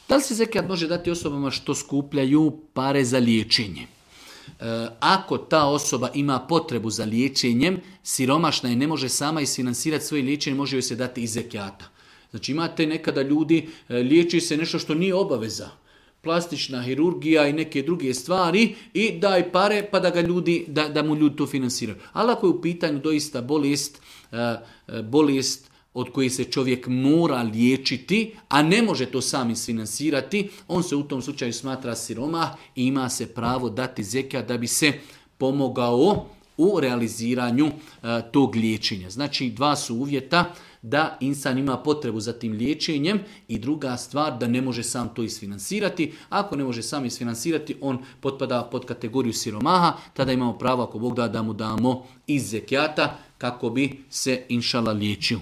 Da li se zekijat može dati osobama što skupljaju pare za liječenje? Ako ta osoba ima potrebu za liječenjem, siromašna je, ne može sama isfinansirati svoje liječenje, može joj se dati iz zekijata. Znači imate nekada ljudi, liječi se nešto što nije obaveza. Plastična hirurgija i neke druge stvari i daj pare pa da mu ljudi to finansiraju. Ali ako je u pitanju doista bolest od koje se čovjek mora liječiti, a ne može to sam isfinansirati, on se u tom slučaju smatra siromah i ima se pravo dati zekijat da bi se pomogao u realiziranju tog liječenja. Znači, dva su uvjeta: da insan ima potrebu za tim liječenjem i druga stvar da ne može sam to isfinansirati. Ako ne može sam isfinansirati, on potpada pod kategoriju siromaha, tada imamo pravo, ako Bog da mu damo iz zekijata kako bi se inšala liječio.